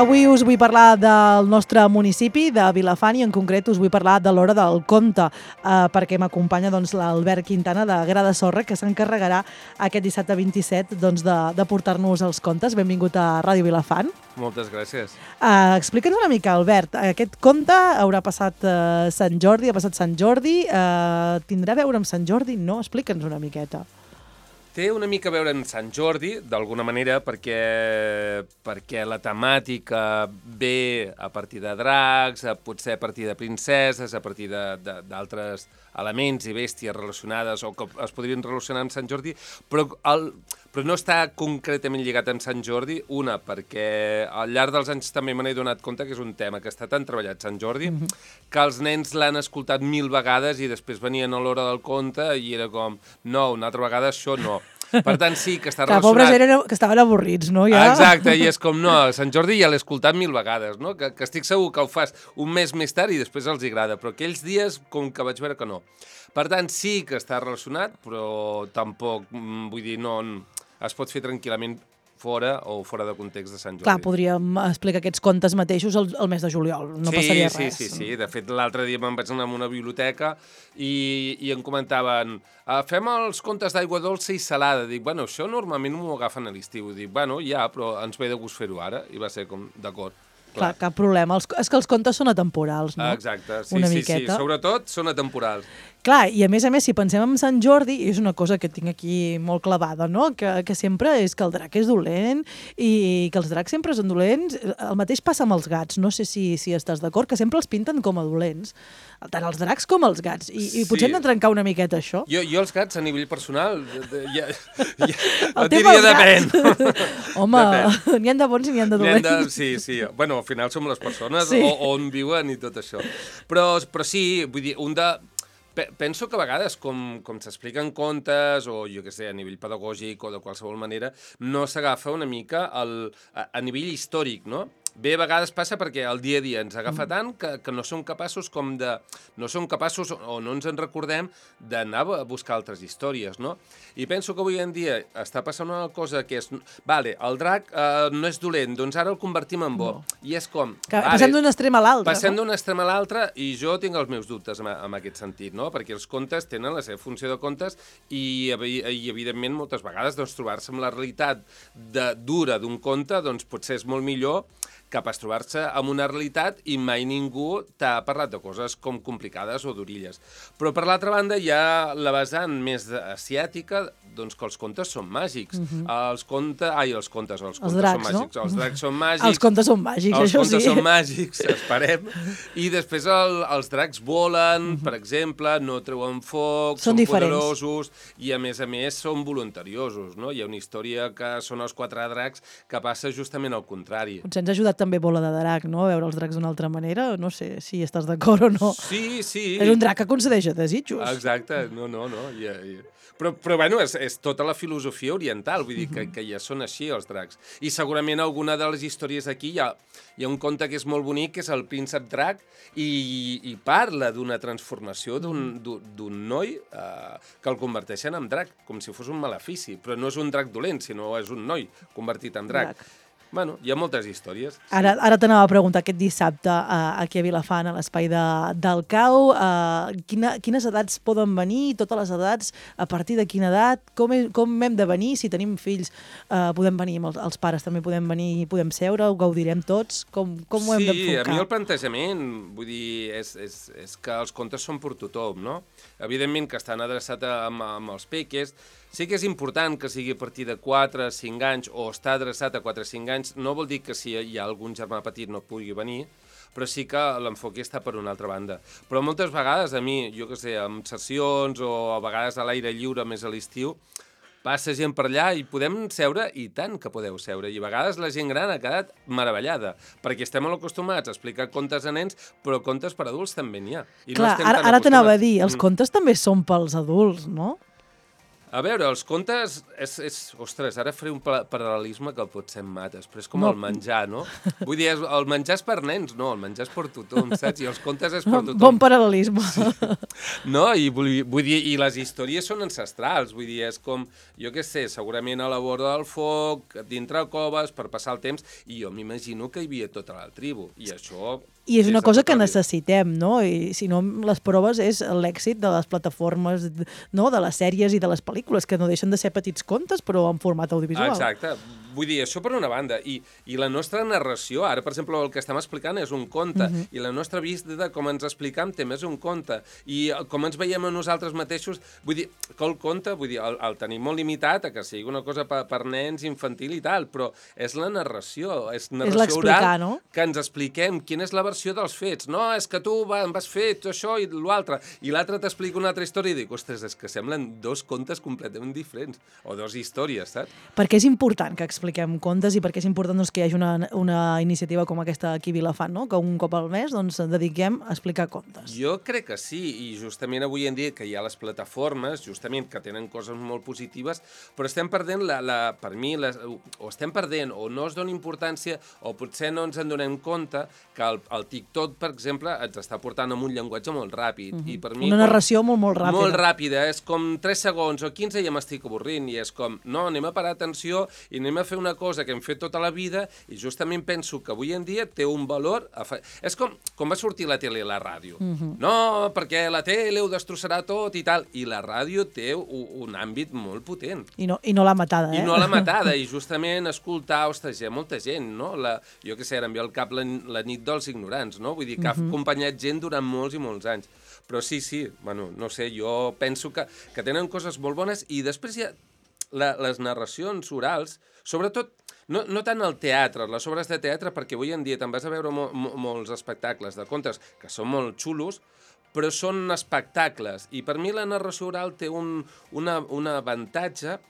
Avui us vull parlar del nostre municipi, de Vilafant, i en concret us vull parlar de l'Hora del Conte, perquè m'acompanya l'Albert Quintana de Gra de Sorra, que s'encarregarà aquest dissabte 27 de portar-nos els contes. Benvingut a Ràdio Vilafant. Moltes gràcies. Explica'ns una mica, Albert, aquest conte haurà passat Sant Jordi, ha passat Sant Jordi, tindrà a veure amb Sant Jordi? No? Explica'ns una miqueta. Té una mica a veure amb Sant Jordi, d'alguna manera, perquè la temàtica ve a partir de dracs, potser a partir de princeses, a partir d'altres elements i bèsties relacionades o que es podrien relacionar amb Sant Jordi, però no està concretament lligat amb Sant Jordi, perquè al llarg dels anys també me n'he donat compte que és un tema que està tan treballat Sant Jordi, que els nens l'han escoltat 1000 vegades i després venien a l'hora del conte i era com, no, una altra vegada això no. Per tant, sí, que està relacionat... Que pobres que estaven avorrits, no? Ja? Exacte, i és com, no, Sant Jordi ja l'he escoltat 1000 vegades, no? Que estic segur que ho fas un mes més tard i després els agrada, però aquells dies com que vaig veure que no. Per tant, sí que està relacionat, però tampoc, vull dir, no es pot fer tranquil·lament fora de context de Sant Jordi. Clar, podríem explicar aquests contes mateixos el mes de juliol, no passaria res. Sí. De fet, l'altre dia me'n vaig anar a una biblioteca i em comentaven fem els contes d'aigua dolça i salada. Dic, bueno, això normalment m'ho agafen a l'estiu. Dic, bueno, ja, però ens ve de gust fer-ho ara. I va ser com, d'acord. Clar, cap problema. És que els contes són atemporals, no? Exacte, sí. Sobretot són atemporals. Clar, i a més, si pensem en Sant Jordi, és una cosa que tinc aquí molt clavada, no? Que sempre és que el drac és dolent i que els dracs sempre són dolents. El mateix passa amb els gats, no sé si estàs d'acord, que sempre els pinten com a dolents, tant els dracs com els gats, i potser hem de trencar una miqueta això. Jo els gats, a nivell personal, et diria depèn. Home, n'hi ha de bons i n'hi ha de dolents. Sí. Bueno, al final som les persones, on viuen i tot això. Però sí, vull dir, penso que a vegades, com s'expliquen contes, o jo què sé, a nivell pedagògic o de qualsevol manera, no s'agafa una mica a nivell històric, no? Bé, a vegades passa perquè el dia a dia ens agafa tant que no som capaços o no ens en recordem d'anar a buscar altres històries, no? I penso que avui en dia està passant una cosa que és, vale, el drac no és dolent, doncs ara el convertim en bo. I és com... Passem d'un extrem a l'altre. Passem d'un extrem a l'altre i jo tinc els meus dubtes en aquest sentit, no? Perquè els contes tenen la seva funció de contes i evidentment, moltes vegades, doncs, trobar-se amb la realitat dura d'un conte, doncs, potser és molt millor que pas trobar-se amb una realitat i mai ningú t'ha parlat de coses com complicades o d'orilles. Però, per l'altra banda, hi ha la vessant més asiàtica, doncs que els contes són màgics. Els dracs són màgics. Els dracs són màgics. Els contes són màgics, això sí. Els contes són màgics, esperem. I després els dracs volen, per exemple, no treuen foc, són poderosos i, a més, són voluntariosos, no? Hi ha una història que són els 4 dracs que passa justament al contrari. Potser ens ha ajudat també Bola de Drac, no? A veure els dracs d'una altra manera. No sé si estàs d'acord o no. Sí. És un drac que concedeix desitjos. Exacte, no. Però bueno, és tota la filosofia oriental, vull dir que ja són així els dracs. I segurament alguna de les històries aquí hi ha un conte que és molt bonic, que és el príncep drac, i parla d'una transformació d'un noi que el converteixen en drac, com si fos un malefici. Però no és un drac dolent, sinó és un noi convertit en drac. Bueno, hi ha moltes històries. Sí. Ara t'anava a preguntar aquest dissabte aquí a Vilafant, a l'espai del CAU, quines edats poden venir, totes les edats, a partir de quina edat, com hem de venir, si tenim fills podem venir, els pares també podem venir, podem seure, ho gaudirem tots, com ho hem d'enfocar? Sí, a mi el plantejament, vull dir, és que els contes són per tothom, no? Evidentment que estan adreçats amb els peques. Sí que és important que sigui a partir de 4 o 5 anys o està adreçat a 4 o 5 anys. No vol dir que si hi ha algun germà petit no pugui venir, però sí que l'enfoc està per una altra banda. Però moltes vegades a mi, jo què sé, amb sessions o a vegades a l'aire lliure més a l'estiu, passa gent per allà i podem seure, i tant que podeu seure. I a vegades la gent gran ha quedat meravellada, perquè estem molt acostumats a explicar contes a nens, però contes per adults també n'hi ha. Clar, ara t'anava a dir, els contes també són pels adults, no? A veure, els contes... Ostres, ara faré un paral·lelisme que potser em mates, però és com el menjar, no? Vull dir, el menjar és per nens, no, el menjar és per tothom, saps? I els contes és per tothom. Bon paral·lelisme. Sí. No, i vull dir, i les històries són ancestrals, vull dir, és com, jo què sé, segurament a la vora del foc, dintre coves, per passar el temps, i jo m'imagino que hi havia tota la tribu, i això... I és una cosa que necessitem, no? I si no, les proves és l'èxit de les plataformes, no? De les sèries i de les pel·lícules, que no deixen de ser petits contes, però en format audiovisual. Exacte. Vull dir, això per una banda. I la nostra narració, ara, per exemple, el que estem explicant és un conte, i la nostra vista de com ens explicam també és un conte. I com ens veiem a nosaltres mateixos, vull dir, que el conte, vull dir, el tenim molt limitat a que sigui una cosa per nens, infantil i tal, però és la narració, és narració oral, no? Que ens expliquem quina és la versió dels fets. No, és que tu em vas fer això i l'altre, i l'altre t'explica una altra història i dic, ostres, és que semblen dos contes completament diferents, o dos històries, saps? Perquè és important que expliquem contes i perquè és important doncs, que hi hagi una iniciativa com aquesta aquí a Vilafant, no? Que un cop al mes doncs, dediquem a explicar contes. Jo crec que sí, i justament avui en dia que hi ha les plataformes, justament que tenen coses molt positives, però estem perdent, per mi, o estem perdent, o no es dona importància, o potser no ens en donem compte que el TikTok, per exemple, ens està portant amb un llenguatge molt ràpid. I per mi, una narració molt ràpida. Molt ràpida, és com 3 segons o 15 i ja m'estic avorrint, i és com, no, anem a parar atenció i anem a fer una cosa que hem fet tota la vida, i justament penso que avui en dia té un valor... És com va sortir la tele i la ràdio. No, perquè la tele ho destrossarà tot i tal, i la ràdio té un àmbit molt potent. I no la matada, I no la matada, i justament escoltar, ostres, hi ha molta gent, no? Jo què sé, ara em ve al cap la nit dels ignorants, no? Vull dir que ha acompanyat gent durant molts i molts anys. Però sí, bueno, no sé, jo penso que tenen coses molt bones, i després hi ha les narracions orals, sobretot, no tant el teatre, les obres de teatre, perquè avui en dia te'n vas a veure molts espectacles de contes que són molt xulos, però són espectacles, i per mi la narració oral té un avantatge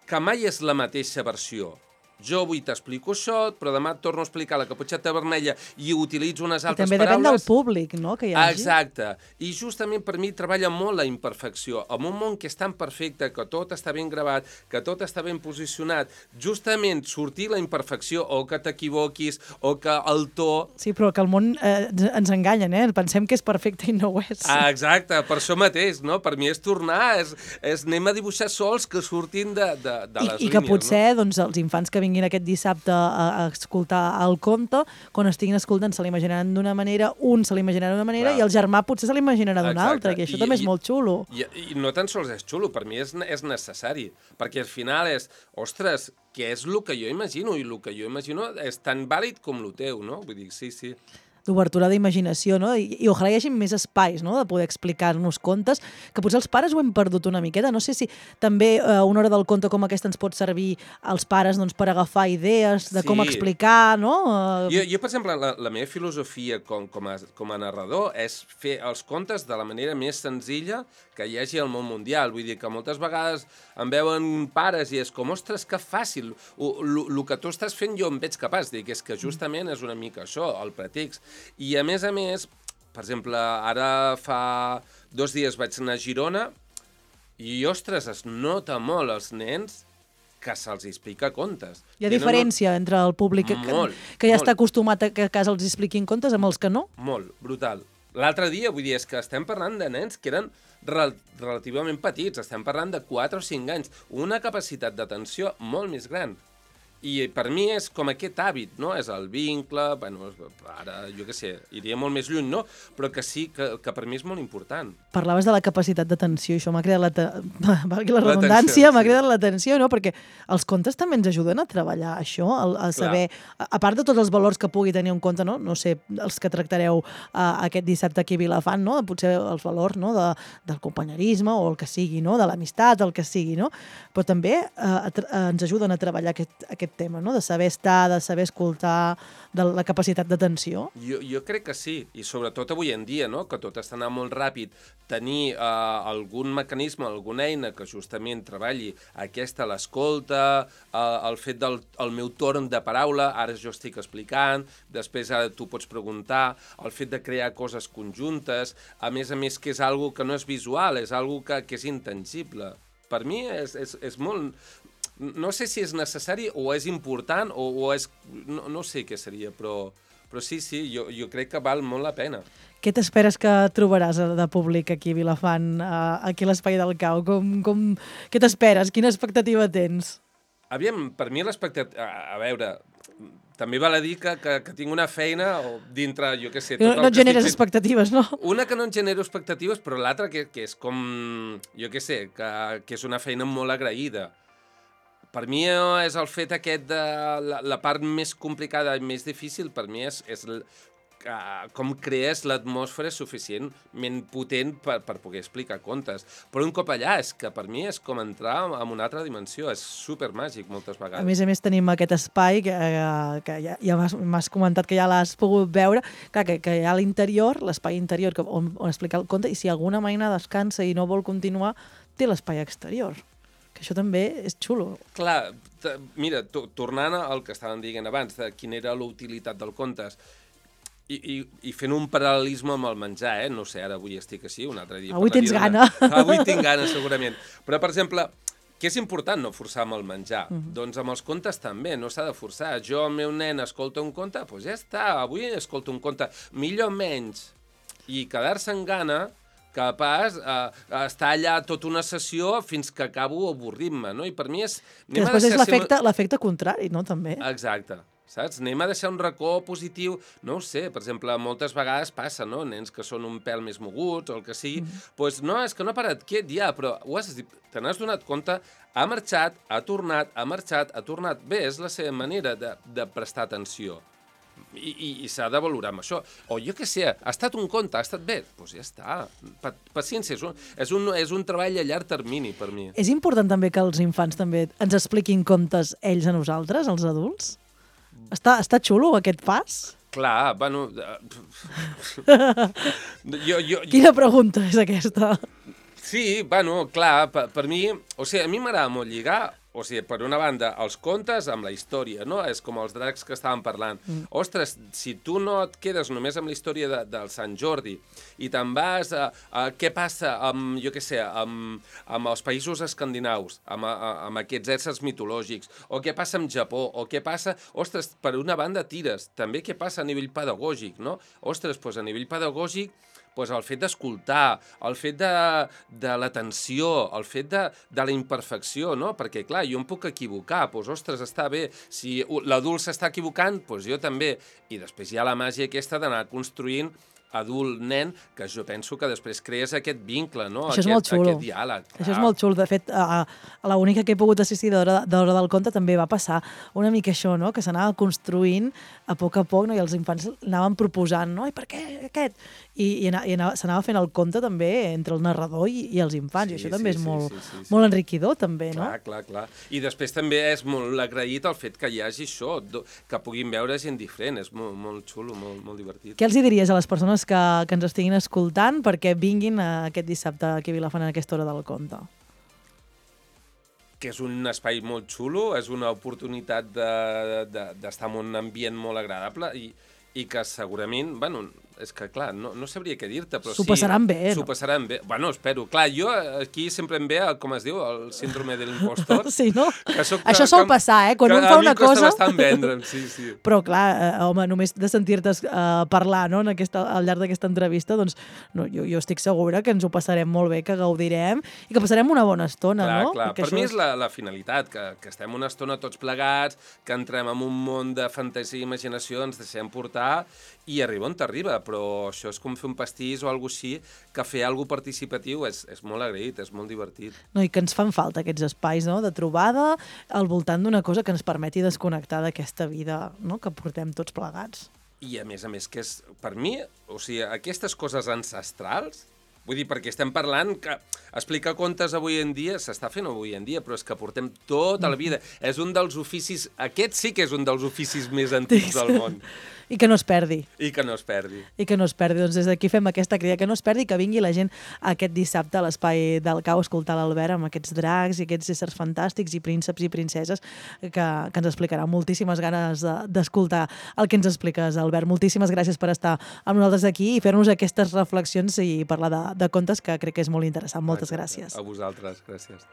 que mai és la mateixa versió. Jo avui t'explico això, però demà et torno a explicar la caputxeta vermella i utilitzo unes altres paraules. I també depèn del públic, no?, que hi hagi. Exacte. I justament per mi treballa molt la imperfecció. En un món que és tan perfecte, que tot està ben gravat, que tot està ben posicionat, justament sortir la imperfecció, o que t'equivoquis, o que el to... Sí, però que el món ens enganyen, Pensem que és perfecte i no ho és. Exacte, per això mateix, no? Per mi és tornar, és anem a dibuixar sols que surtin de les línies. I que potser, doncs, els infants que vinguin aquest dissabte a escoltar el conte, quan estiguin escoltant se l'imaginaran d'una manera, un se l'imaginarà d'una manera, i el germà potser se l'imaginarà d'una altra, que això també és molt xulo. I no tan sols és xulo, per mi és necessari, perquè al final és, ostres, què és el que jo imagino? I el que jo imagino és tan vàlid com el teu, no? Vull dir, sí. D'obertura d'imaginació, no? I ojalà hi hagi més espais, no?, de poder explicar-nos contes, que potser els pares ho hem perdut una miqueta. No sé si també una hora del conte com aquesta ens pot servir als pares, doncs, per agafar idees de com explicar, no? Jo, per exemple, la meva filosofia com a narrador és fer els contes de la manera més senzilla que hi hagi al món mundial. Vull dir que moltes vegades em veuen pares i és com, ostres, que fàcil. El que tu estàs fent jo em veig capaç. Dic, és que justament és una mica això, el pretext. I a més, per exemple, ara fa 2 dies vaig anar a Girona i, ostres, es nota molt als nens que se'ls explica contes. Hi ha diferència entre el públic que ja està acostumat a que a casa els expliquin contes amb els que no? Molt, brutal. L'altre dia, vull dir, és que estem parlant de nens que eren relativament petits, estem parlant de 4 o 5 anys, una capacitat d'atenció molt més gran. I per mi és com aquest hàbit, no? És el vincle, bueno, ara, jo què sé, iria molt més lluny, no? Però que sí, que per mi és molt important. Parlaves de la capacitat d'atenció, i això m'ha cridat la redundància, m'ha cridat l'atenció, no? Perquè els contes també ens ajuden a treballar això, a saber, a part de tots els valors que pugui tenir un conte, no? No sé, els que tractareu aquest dissabte aquí a Vilafant, no? Potser els valors, no?, del companyerisme, o el que sigui, no?, de l'amistat, el que sigui, no? Però també ens ajuden a treballar aquest tema, no?, de saber estar, de saber escoltar, de la capacitat d'atenció. Jo crec que sí, i sobretot avui en dia, no?, que tot està anant molt ràpid, tenir algun mecanisme, alguna eina que justament treballi l'escolta, el fet del meu torn de paraula, ara jo estic explicant, després ara tu pots preguntar, el fet de crear coses conjuntes, a més que és algo que no és visual, és algo que és intangible. per mi és molt... No sé si és necessari o és important o és... No sé què seria, però sí, jo crec que val molt la pena. Què t'esperes que trobaràs de públic aquí a Vilafant, aquí a l'Espai del Cau? Què t'esperes? Quina expectativa tens? Aviam, per mi l'expectativa... A veure, també val a dir que tinc una feina dintre, jo què sé... No et generes expectatives, no? Una que no en genero expectatives, però l'altra que és com... Jo què sé, que és una feina molt agraïda. Per mi és el fet aquest de... La part més complicada i més difícil, per mi és com crees l'atmosfera suficientment potent per poder explicar contes. Però un cop allà, és que per mi és com entrar en una altra dimensió, és supermàgic moltes vegades. A més tenim aquest espai que ja m'has comentat que ja l'has pogut veure, clar, que hi ha a l'interior, l'espai interior on explicar el conte, i si alguna maina descansa i no vol continuar, té l'espai exterior. Que això també és xulo. Clar, mira, tornant al que estàvem dient abans, de quina era la utilitat del contes, i fent un paral·lelisme amb el menjar, no sé, ara avui estic així, un altre dia... Avui tens gana. Avui tinc gana, segurament. Però, per exemple, què és important no forçar amb el menjar? Doncs amb els contes també, no s'ha de forçar. Jo, el meu nen, escolta un conte, doncs ja està, avui escolta un conte, millor menys. I quedar-se en gana, que pas estar allà tota una sessió fins que acabo avorrint-me, no? I per mi és... Que després és l'efecte contrari, no? També. Exacte. Saps? Anem a deixar un racó positiu, no ho sé, per exemple, moltes vegades passa, no? Nens que són un pèl més moguts o el que sigui, doncs no, és que no ha parat quiet ja, però te n'has donat compte, ha marxat, ha tornat, ha marxat, ha tornat. Bé, és la seva manera de prestar atenció. I s'ha de valorar amb això. O jo què sé, ha estat un conte, ha estat bé, doncs ja està. Paciència, és un treball a llarg termini per mi. És important també que els infants també ens expliquin contes ells a nosaltres, els adults? Està xulo aquest pas? Clar, bueno... Quina pregunta és aquesta? Sí, bueno, clar, per mi... O sigui, a mi m'agrada molt lligar... O sigui, per una banda, els contes amb la història, no? És com els dracs que estàvem parlant. Ostres, si tu no et quedes només amb la història del Sant Jordi i te'n vas a què passa amb, jo què sé, amb els països escandinaus, amb aquests éssers mitològics, o què passa amb Japó, o què passa... Ostres, per una banda tires. També què passa a nivell pedagògic, no? Ostres, doncs a nivell pedagògic... Pues el fet d'escoltar, el fet de l'atenció, el fet de la imperfecció, no? Perquè, clar, jo em puc equivocar, doncs, ostres, està bé, si l'adult s'està equivocant, doncs jo també. I després hi ha la màgia aquesta d'anar construint adult-nen, que jo penso que després crees aquest vincle, no? Això és molt xulo. Aquest diàleg. Això és molt xulo. De fet, a l'única que he pogut assistir d'Hora del Conte també va passar una mica això, no? Que s'anava construint a poc, no? I els infants anaven proposant, no? I per què aquest? I s'anava fent el conte també entre el narrador i els infants, i això també és molt enriquidor, també, no? Clar. I després també és molt agraït el fet que hi hagi això, que puguin veure gent diferent, és molt xulo, molt divertit. Què els diries a les persones que ens estiguin escoltant perquè vinguin aquest dissabte aquí a Vilafant a aquesta Hora del Conte? Que és un espai molt xulo, és una oportunitat d'estar en un ambient molt agradable i que segurament, bueno, és que clar, no sabria què dir-te, però sí... S'ho passaran bé, no? S'ho passaran bé. Bueno, espero. Clar, jo aquí sempre em ve, com es diu, el síndrome de l'impostor. Sí, no? Això sol passar, Quan un fa una cosa... A mi costa bastant vendre'm, sí. Però clar, home, només de sentir-te parlar, no?, al llarg d'aquesta entrevista, doncs jo estic segura que ens ho passarem molt bé, que gaudirem i que passarem una bona estona, no? Clar. Per mi és la finalitat, que estem una estona tots plegats, que entrem en un món de fantasia i imaginació, ens deixem portar i arriba on t'arriba, però això és com fer un pastís o alguna així, que fer alguna participatiu és molt agraït, és molt divertit. No, i que ens fan falta aquests espais, no?, de trobada al voltant d'una cosa que ens permeti desconnectar d'aquesta vida, no?, que portem tots plegats. I a més, que és, per mi, o sigui, aquestes coses ancestrals, vull dir, perquè estem parlant que explicar contes avui en dia s'està fent avui en dia, però és que portem tota la vida. És un dels oficis, aquest sí que és un dels oficis més antics del món. I que no es perdi. I que no es perdi. I que no es perdi. Doncs des d'aquí fem aquesta crida, que no es perdi, que vingui la gent aquest dissabte a l'Espai del Cau a escoltar l'Albert amb aquests dracs i aquests éssers fantàstics i prínceps i princeses que ens explicarà. Moltíssimes ganes d'escoltar el que ens expliques, Albert. Moltíssimes gràcies per estar amb nosaltres aquí i fer-nos aquestes reflexions i parlar de contes, que crec que és molt interessant. Moltes gràcies. A vosaltres, gràcies.